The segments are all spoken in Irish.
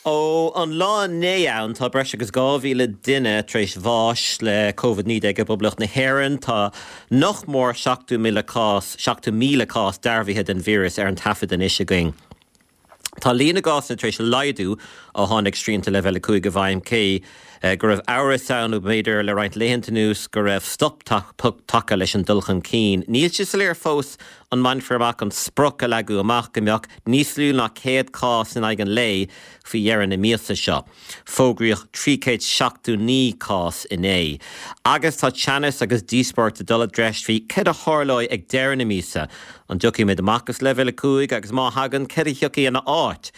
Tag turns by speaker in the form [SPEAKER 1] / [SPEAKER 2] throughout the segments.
[SPEAKER 1] Ó an lá inné ann, tá breis agus 2,000 duine tar éis bháis le Covid-19 i bPoblacht na hÉireann. Tá nach mór 70,000 cás, 70,000 cás dearbhaithe den víreas ar an taifead anois againn. Tá líon na gcásanna tar éis laghdú ó tháinig srianta Leibhéal 5 i bhfeidhm, cé go raibh amhras ann, b'fhéidir, le roinnt laethanta anuas go raibh stop tagtha leis an dul chun cinn. Níl sé soiléir fós an mbainfear amach an sprioc a leagadh amach go mbeadh níos lú ná 100 cás in aghaidh an lae faoi dheireadh na míosa seo. Fógraíodh 379 cás inné. Agus tá teannas agus díospóireacht ag dul i dtreis faoi céard a tharlóidh ag deireadh na míosa. An dtiocfaimid amach as Leibhéal 5 agus má thagann, céard a thiocfaidh ina áit?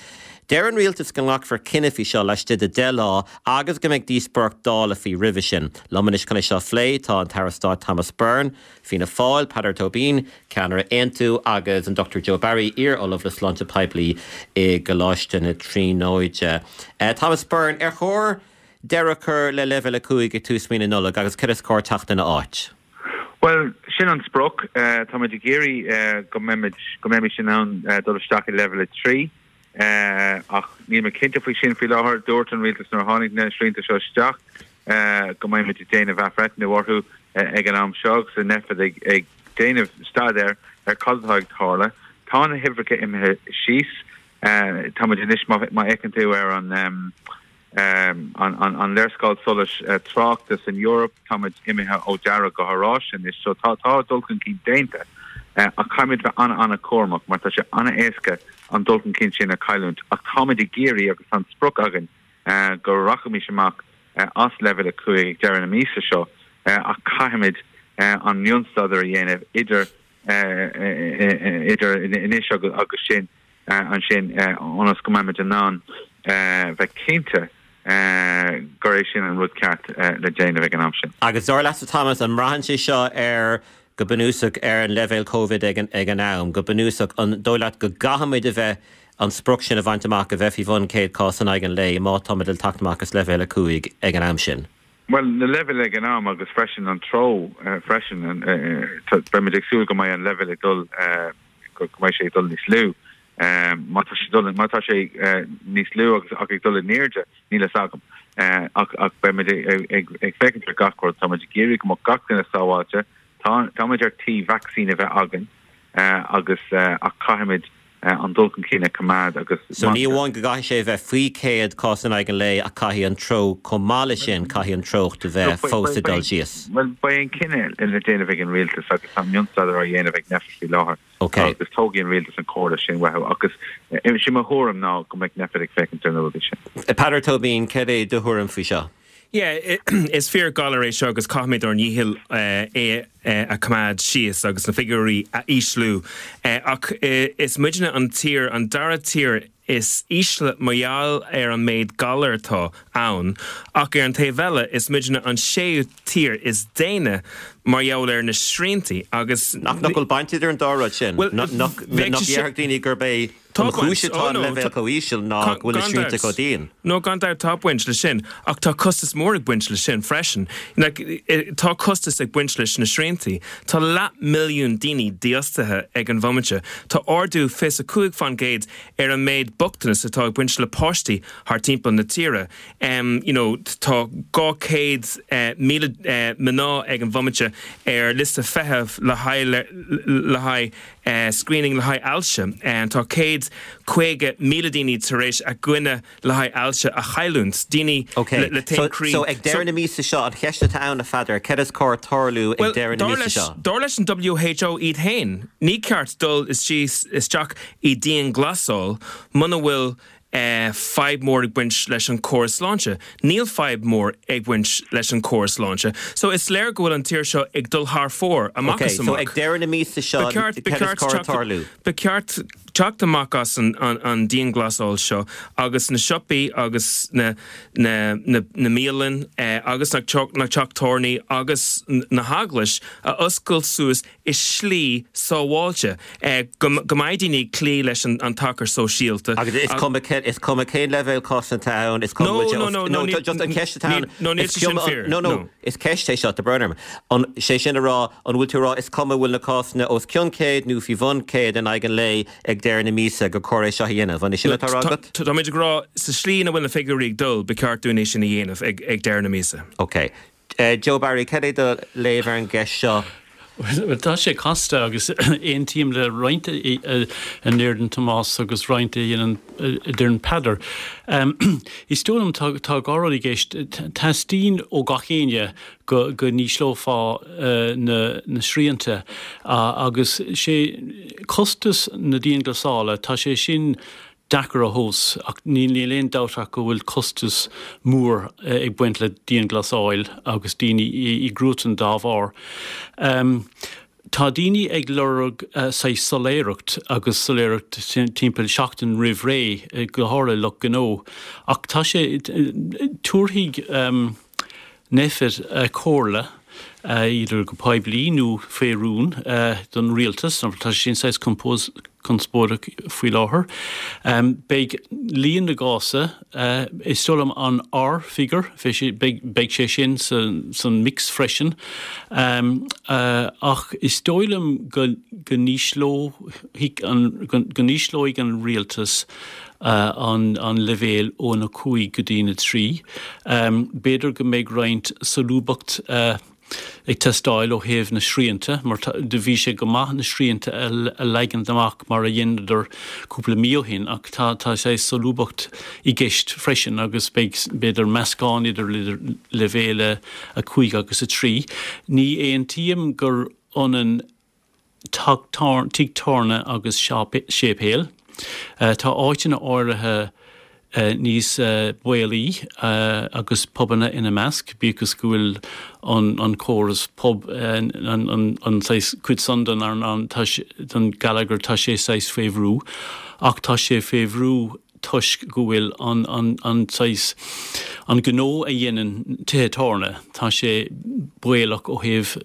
[SPEAKER 1] Deir an rialtas go nglacfar cinneadh faoi seo laistigh de 10 lá agus go mbeidh díospóireacht Dála faoi roimhe sin. Liom anois chun é seo a phlé tá an tAire Stáit Thomas Byrne, Fianna Fáil, Peadar Tóibín, Ceannaire Aontú, agus an Dr Joe Barry, iar-Ollamh le Sláinte Poiblí i gColáiste na Tríonóide. Thomas Byrne, ar chóir deireadh a chur le Leibhéal 5 ag tús mhí na Nollag agus céard is cóir teacht ina áit?
[SPEAKER 2] Bhuel, sin an sprioc. Táimid ag iarraidh go mbeimid, go mbeimis in ann dul isteach i Leibhéal 3. Ach níl mé cinnte faoi sin faoi láthair. Dúirt an rialtas nuair a tháinig na srianta seo isteach go mbeimid ag déanamh athbhreithniú orthu ag an am seo agus an Nphet ag déanamh staidéir ar cad atá ag tarlú. Tá na huimhreacha imithe síos. Táimid anois, má fhéachann tú ar an an léarscáil solais tráchta san Eoraip, táimid imithe ó dearg go horáiste anois, so tá tá dul chun cinn déanta ach caithfimid bheith an-an-chúramach mar tá sé an-éasca an dul chun cinn sin a chailliúint ach táimid ag iarraidh agus tá an sprioc againn go rachaimis amach as leibhéal 5 ag deireadh na míosa seo ach caithfimid an mionstaidéar a dhéanamh idir idir anois agus sin. ansin ionas go mbeimid in ann bheith cinnte gur é sin an rud ceart le déanamh ag an am sin.
[SPEAKER 1] Agus dar leatsa Thomas, an mbraitheann sé seo ar, go bunúsach, ar an leibhéal Covid ag an am? Go bunúsach, an dóigh leat go gcaithfimid a bheith, an sprioc sin a bhaint amach, a bheith faoi bhun 100 cás in aghaidh an lae má táimid le teacht amach as leibhéal 5 ag an am sin?
[SPEAKER 2] Bhuel, na leibhéil ag an am agus freisin an treo freisin, beimid ag súil go mbeidh an leibhéal ag dul, go mbeidh sé ag dul níos lú. Má tá sé dul, má tá sé níos lú agus ach ag dul in airde, níl fhios agam. Ach ach beimid ag ag féachaint ar gach rud. Táimid ag iarraidh go mbeadh gach duine sábháilte. Tá táimid ar tí vacsaín a bheith againn agus ach caithfimid an dul chun cinn a choimeád agus
[SPEAKER 1] So ní amháin go gcaithfidh sé a bheith faoi 100 cás in aghaidh an lae ach caithfidh an treo chomh maith leis sin, caithfidh an treocht a bheith fós ag dul síos.
[SPEAKER 2] Bhuel, beidh an cinneadh le déanamh ag an rialtas agus tá mionstaidéar á dhéanamh ag Nphet faoi láthair agus tógfaidh an rialtas an chomhairle sin uathu agus sin mo thuairim ná go mbeidh Nphet ag féachaint ar na rudaí sin.
[SPEAKER 1] Peadar Tóibín, céard é do thuairim faoi seo?
[SPEAKER 3] Yeah, is fíor galar é seo agus caithfimid ár ndícheall é a choimeád síos agus na figiúirí a ísliú. Ach is muidne an tír, an dara tír is ísle mar gheall ar an méid galar atá ann, ach ar an taobh eile is muidne an séú tír is déine mar gheall ar na sriantaí agus.
[SPEAKER 1] Nach bhfuil baint idir an dá rud sin? Nach ndéarfadh daoine gurb é
[SPEAKER 3] Tá
[SPEAKER 1] An
[SPEAKER 3] baint.
[SPEAKER 1] chúis atá
[SPEAKER 3] Oh
[SPEAKER 1] an
[SPEAKER 3] no,
[SPEAKER 1] leibhéal
[SPEAKER 3] tá,
[SPEAKER 1] chomh híseal ná
[SPEAKER 3] gan,
[SPEAKER 1] go bhfuil na
[SPEAKER 3] gan
[SPEAKER 1] srianta
[SPEAKER 3] dabht.
[SPEAKER 1] chomh dian.
[SPEAKER 3] No, gan dabht tá baint leis sin, ach tá costas mór ag baint leis sin freisin. Like, tá costas ag baint leis na sriantaí. Tá leath milliún daoine dífhostaithe ag an bhomaite. Tá ardú 25% ar an méid bochtanas atá ag baint le páistí thar timpeall na tíre. Em, you know, tá 200,000 eh, mná ag an bhomaite ar liosta feithimh le haghaidh, le haghaidh screening le haghaidh ailse. Tá 150,000 daoine tar éis a gcoinne le haghaidh ailse a chailliúint, daoine
[SPEAKER 1] Ok,
[SPEAKER 3] le
[SPEAKER 1] so
[SPEAKER 3] taom croí.
[SPEAKER 1] so ag deireadh na míosa seo, an cheist atá ann, a Pheadair, céard is cóir tarlú ag
[SPEAKER 3] Bhuel,
[SPEAKER 1] deireadh na
[SPEAKER 3] dar
[SPEAKER 1] míosa
[SPEAKER 3] leis,
[SPEAKER 1] seo?
[SPEAKER 3] dar leis an WHO iad féin, ní ceart dul istigh isteach i dianghlasáil muna bhfuil fadhb mór ag baint leis an córas sláinte. Níl fadhb mór ag baint leis an córas sláinte. So is léir go bhfuil an tír seo ag dul thar fóir, amach
[SPEAKER 1] Ok,
[SPEAKER 3] is
[SPEAKER 1] so
[SPEAKER 3] amach.
[SPEAKER 1] ag deireadh na míosa seo,
[SPEAKER 3] Ba cheart, ba
[SPEAKER 1] céard is
[SPEAKER 3] cheart
[SPEAKER 1] cóir
[SPEAKER 3] teacht,
[SPEAKER 1] tarlú?
[SPEAKER 3] ba cheart teacht amach as an, an, an dianghlasáil seo agus na siopaí agus na, na, na, na bialann agus na, na teach tábhairní agus na heaglais a oscailt suas i slí sábháilte, go mbeidh daoine ag cloí leis an tacar sóisialta.
[SPEAKER 1] Agus is cuma cé. leibhéal, is cuma cén leibhéal cásanna atá ann, is cuma
[SPEAKER 3] No,
[SPEAKER 1] bhfuil sé
[SPEAKER 3] no,
[SPEAKER 1] os,
[SPEAKER 3] no,
[SPEAKER 1] no,
[SPEAKER 3] no, níl,
[SPEAKER 1] just an cheist atá ann,
[SPEAKER 3] no, níl
[SPEAKER 1] is
[SPEAKER 3] sé sin
[SPEAKER 1] cuma,
[SPEAKER 3] fíor,
[SPEAKER 1] no, no,
[SPEAKER 3] no.
[SPEAKER 1] is ceist é seo, tá brón orm. An, sé sin a rá, an bhfuil tú a rá is cuma bhfuil na cásanna os cionn 100 nó faoi bhun 100 in aghaidh an lae ag deireadh na míosa gur cóir é seo a dhéanamh? An é sin
[SPEAKER 3] No,
[SPEAKER 1] atá á rá
[SPEAKER 3] tá,
[SPEAKER 1] agat?
[SPEAKER 3] táimid ag rá sa slí ina bhfuil na figiúirí ag dul, ba cheart dúinn é sin a dhéanamh ag, ag deireadh na míosa.
[SPEAKER 1] Ok. Joe Barry, cad é do léamh ar an gceist seo?
[SPEAKER 4] Bhuel, tá sé casta agus aontaím le roinnt a ndeireann Tomás agus roinnt a dhéanann, a deireann Peadar. Is dóigh liom tá tá rud i gceist, teastaíonn ó gach éinne go go n-ísleofá na na srianta agus sé costas na dianghlasála, tá sé sin deacair a thomhas ach níl aon dabht ach go bhfuil costas mór ag baint le dianghlasáil agus daoine i gcruatan dá bharr. Tá daoine ag lorg saghas soiléireacht agus soiléireacht timpeall seachtain roimh ré, go háirithe lucht gnó. Ach tá sé, tabharfaidh Nphet comhairle, idir go poiblí nó faoi rún, don rialtas, mar tá sé sin saghas conspóideach faoi láthair. Beidh líon na gcásanna, is dóigh liom an R figure, beidh sé sin san mix freisin. Ach is dóigh liom go n-ísleoidh an rialtas an leibhéal ón 5 go dtí an 3. B'fhéidir go mbeidh roinnt solúbthacht ag teastáil ó thaobh na srianta mar do bhí sé go maith na srianta a leagant amach mar a dheineadar cúpla mí ó shin ach tá tá saghas solúbthacht i gceist freisin agus beidh b'fhéidir meascán idir leibhéal 5 agus 3. Ní aontaím gur ionann tigh tábhairne agus séipéal. Tá áiteanna áirithe níos baolaí agus pubanna ina measc, bíodh is go bhfuil an córas pub, an saghas cuid san den den geilleagar, tá sé saghas faoi bhrú. Ach tá sé faoi bhrú toisc go bhfuil an an saghas, an gnó a dhéanann tithe tábhairne, tá sé baolach ó thaobh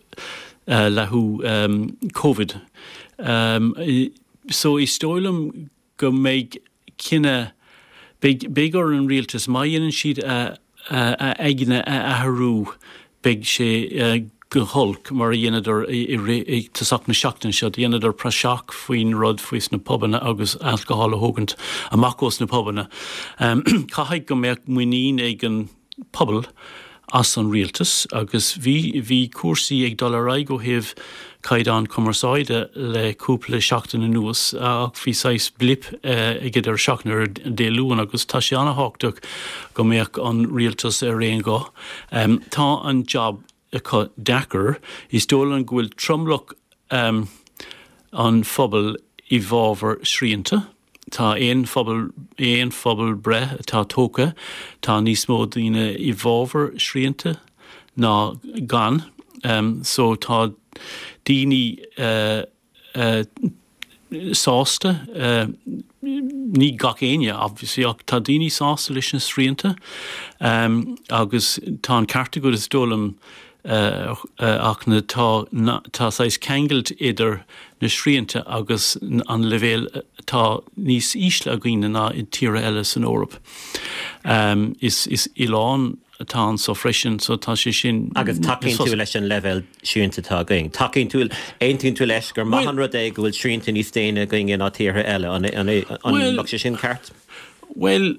[SPEAKER 4] leathadh Covid. So is dóigh liom go mbeidh cinneadh, beidh, beidh ar an rialtas, má dhéanann siad a aigne a athrú, beidh sé go holc mar a dheineadar i rith, i tosach na seachtaine seo, dheineadar praiseach faoin rud faoi sna pubanna agus alcohol a thógaint amach ós na pubanna. Caithfidh go mbeadh muinín ag an pobal as an rialtas agus bhí, bhí cúrsaí ag dul ar aghaidh ó thaobh caighdeán cumarsáide le cúpla seachtain anuas ach bhí saghas blip ag an deireadh seachtaine ar Dé Luain agus tá sé an-thábhachtach go mbeadh an rialtas ar aon ghuth. Tá an jab acu deacair. Is dóigh liom go bhfuil tromlach an phobail i bhfabhar srianta. Tá aon phobal, aon phobalbhreith atá tógtha, tá níos mó daoine i bhfabhar srianta ná gan. So tá daoine sásta, ní gach éinne obviously, ach tá daoine sásta leis na srianta agus tá an ceart agat is dóigh liom ach na tá tá saghas ceangailt idir na srianta agus an leibhéal atá níos ísle againne ná i tíortha eile san Eoraip. Is is oileán atá anso freisin so tá sé sin
[SPEAKER 1] Agus tacaíonn tú leis an leibhéal srianta atá againn? Tacaíonn tú, aontaíonn tú leis gur maith an rud é go bhfuil srianta níos déine againne ná tíortha eile? An an an mbeadh sé sin ceart?
[SPEAKER 4] Bhuel,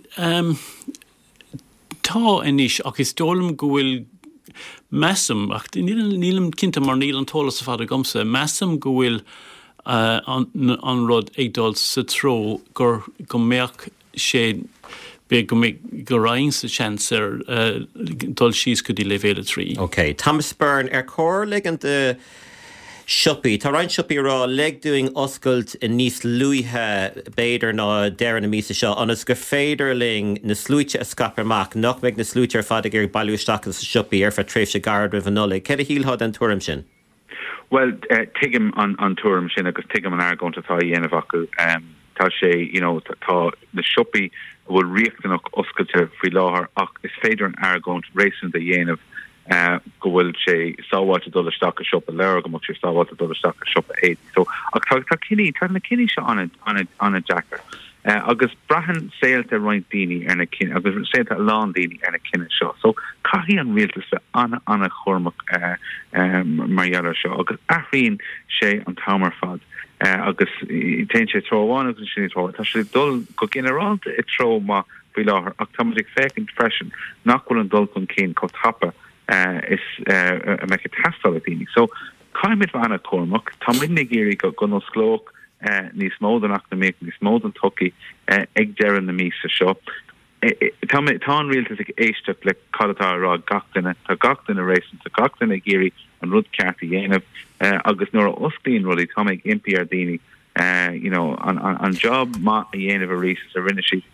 [SPEAKER 4] tá anois ach is dóigh liom go bhfuil, measaim, ach nílim cinnte mar níl an t-eolas ar fad agamsa, measaim go bhfuil an an rud ag dul sa treo gur go mbeadh sé, b'fhéidir go mbeidh, go raghainn sa seans ar dul síos go dtí leibhéal 3.
[SPEAKER 1] Ok. Thomas Byrne, ar chóir ligean do siopaí, tá roinnt siopaí ag rá lig dúinn oscailt níos luaithe b'fhéidir ná deireadh na míosa seo ionas gur féidir linn na sluaite a scaipeadh amach, nach mbeidh na sluaite ar fad ag iarraidh bailiú isteach sna siopaí ar feadh tréimhse gairid roimh an Nollaig. Céard a shílfeá den tuairim sin?
[SPEAKER 2] Bhuel, tuigim an tuairim sin agus tuigim an argóint atá á dhéanamh acu. Tá sé, you know, tá na siopaí a bhfuil riachtanach oscailte faoi láthair ach is féidir an argóint réasúnta a dhéanamh go bhfuil sé sábháilte dul isteach i siopa leabhar, go mbeadh sé sábháilte dul isteach i siopa éadaí. So, ach tá, tá cinní, tá na cinní seo an-, an-, an-deacair. Agus braitheann saolta roinnt daoine ar na cinn agus saolta a lán daoine ar na cinntí seo. So caithfidh an rialtas bheith an-an-chúramach mar gheall air seo agus athraíonn sé an t-am ar fad agus téann sé treo amháin agus ansin i treo. Tá sé ag dul go ginearálta i treo maith faoi láthair ach tá muid ag féachaint freisin nach bhfuil an dul chun cinn chomh tapa is a mbeadh ag teastáil ag daoine. So caithfimid bheith an-chúramach. Tá muidne ag iarraidh go n-osclódh níos mó den eacnamaíocht, níos mó den tsochaí ag deireadh na míosa seo. Tá tá an rialtas ag éisteacht le cad atá á rá ag gach duine. Tá gach duine réasúnta, gach duine ag iarraidh an rud ceart a dhéanamh agus nuair a osclaíonn rudaí tá mé ag impí ar daoine you know, an, an, an job maith a dhéanamh arís is a rinne siad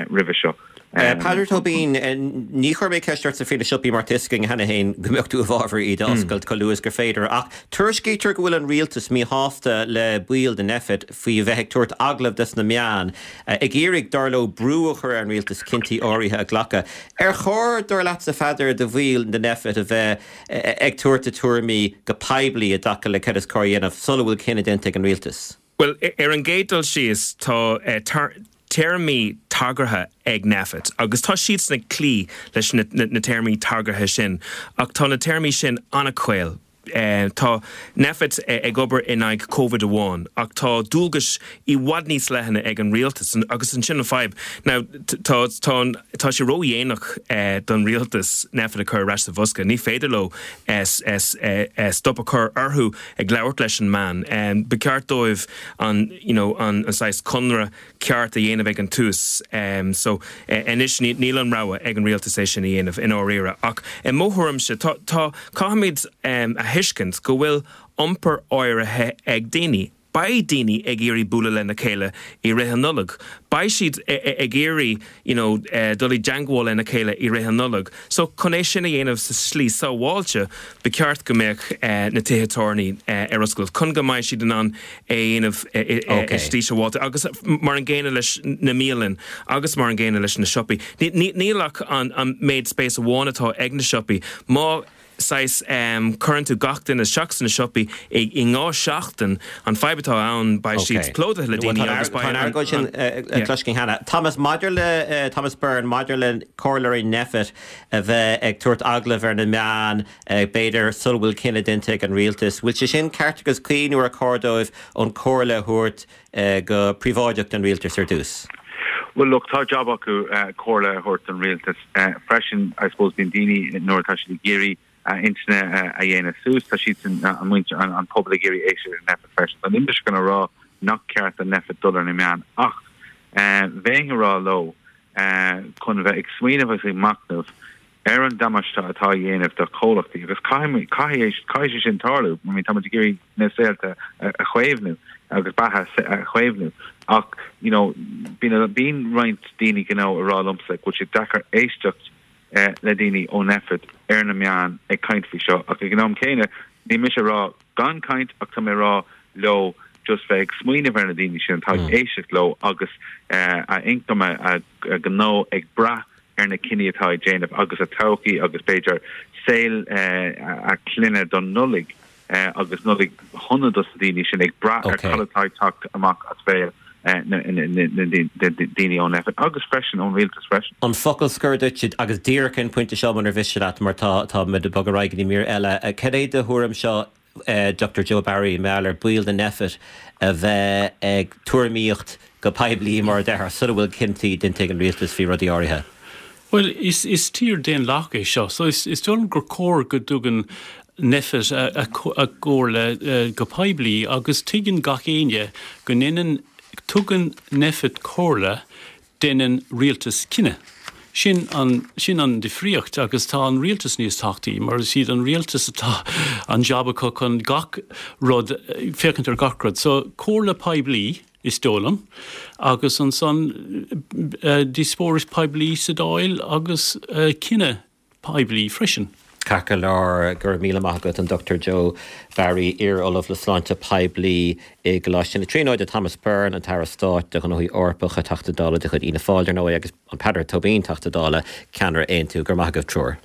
[SPEAKER 2] roimhe seo.
[SPEAKER 1] Peadar Tóibín, ní chuirfidh mé ceist ortsa faoi na siopaí mar tá fhios againn cheana féin go mbeadh tú i bhfabhar iad a oscailt chomh luath is gur féidir. Ach tuairiscítear go bhfuil an rialtas míshásta le baill de Nphet faoi bheith ag tabhairt agallamh dos na meáin, ag iarraidh, dar leo, brú a chur ar an rialtas cinntí áirithe a ghlacadh. Ar chóir, dar leatsa, a Pheadair, do bhaill de Nphet a bheith ag tabhairt a tuairimí go poiblí i dtaca le cad is cóir a dhéanamh sula bhfuil cinneadh déanta ag an rialtas.
[SPEAKER 3] Bhuel, ar an gcéad dul síos, tá téarmaí tagartha ag Nphet agus tá siadsan ag cloí leis na téarmaí tagartha sin ach tá na téarmaí sin an-chaol. Tá Nphet ag obair in aghaidh Covid amháin ach tá dualgais i bhfad níos leithne ag an rialtas agus ansin an fadhb. Now tá tá tá sé ródhéanach don rialtas Nphet a chur ar ais sa bhosca. Ní féidir leo stop a chur orthu ag labhairt leis an meán. Ba cheart dóibh an you know an saghas conradh ceart a dhéanamh ag an tús. So anois níl an rogha ag an rialtas é sin a dhéanamh i ndáiríre. Ach i mo thuairimse tá tá caithfimid a thuiscint go bhfuil iompar áirithe ag daoine. Beidh daoine ag iarraidh bualadh lena chéile i rith an Nollag. Beidh siad ag iarraidh you know dul i dteangmháil lena chéile i rith an Nollag. So chun é sin a dhéanamh sa slí sábháilte ba cheart go mbeadh na tithe tábhairne ar oscailt chun go mbeidh siad in ann é a dhéanamh i slí sábháilte agus mar an gcéanna leis na bialanna agus mar an gcéanna leis na siopaí. Níl ach an méid spáis amháin atá ag na siopaí. Má saghas cuireann tú gach duine isteach sna siopaí i ndhá seachtain, an fadhb atá ann beidh siad plódaithe le daoine agus
[SPEAKER 1] beidh an. Tá an argóint sin cloiste againn cheana. Thomas, maidir le, Thomas Byrne, maidir le comhairleoirí Nphet a bheith ag tabhairt agallamh ar na meáin, b'fhéidir sula bhfuil cinneadh déanta ag an rialtas, bhfuil sé sin ceart agus cuí nó ar chóir dóibh an comhairle a thabhairt go príobháideach don rialtas ar dtús?
[SPEAKER 2] Bhuel, look, tá jab acu comhairle a thabhairt don rialtas freisin. I suppose bíonn daoine nuair atá siad ag iarraidh a intinne a dhéanamh suas, tá siadsan, an muintir, an pobal ag iarraidh éisteacht le Nphet freisin. So níl mise chun a rá nach ceart do Nphet dul ar na meáin ach bheinn ag rá leo chun a bheith ag smaoineamh agus ag machnamh ar an damáiste atá á dhéanamh do chomhlachtaí agus caithfidh, caithfidh, caithfidh sé sin tarlú. I mean, táimid ag iarraidh na saolta a chaomhnú agus beatha a chaomhnú ach, you know, bíonn, bíonn roinnt daoine gnó ag rá liomsa go bhfuil sé deacair éisteacht le daoine ó Nphet ar na meáin ag caint faoi seo ach ag an am céanna níl mise ag rá gan caint ach tá mé ag rá leo just bheith ag smaoineamh ar na daoine sin atá ag éisteacht leo agus a income, a gnó ag brath ar na cinní atá ag déanamh agus a todhchaí agus b'fhéidir saol a clainne don Nollaig agus Nollaig shona dos na daoine sin ag brath ar cad atá ag teacht amach as béal na daoine ó Nphet agus freisin ón rialtas freisin.
[SPEAKER 1] An focal scoir duit agus díreach ar an phointe seo munar mhiste leat mar tá tá muid ag bogadh ar aghaidh go dtí mír eile. Cad é do thuairim seo Dr Joe Barry, mar gheall ar baill de Nphet a bheith ag tuairimíocht go poiblí, mar a déarfá, sula bhfuil cinntí déanta ag an rialtas faoi rudaí áirithe?
[SPEAKER 4] Bhuel, is tír daonlathach é seo, so is dóigh liom gur cóir go dtugann Nphet a gcomhairle go poiblí agus tuigeann gach éinne go ndéanann, tugann Nphet comhairle Déanann rialtas cinneadh. Sin an, sin an difríocht agus tá an rialtas níos tábhachtaí mar is iad an rialtas atá an jab acu chun gach rud, féachaint ar gach rud. So, comhairle poiblí is dóigh liom agus ansan díospóireacht poiblí sa Dáil agus cinneadh. poiblí freisin.
[SPEAKER 1] Ceart go leor, go raibh míle maith agat, an Dr Joe Barry, iar-Ollamh le Sláinte Poiblí i gColáiste na Tríonóide, Thomas Byrne, an tAire Stáit do Ghnóthaí Eorpacha, Teachta Dála de chuid Fhianna Fáil, dar ndóigh, agus an Peadar Tóibín, Teachta Dála, Ceannaire Aontú. Go raibh maith agaibh triúr.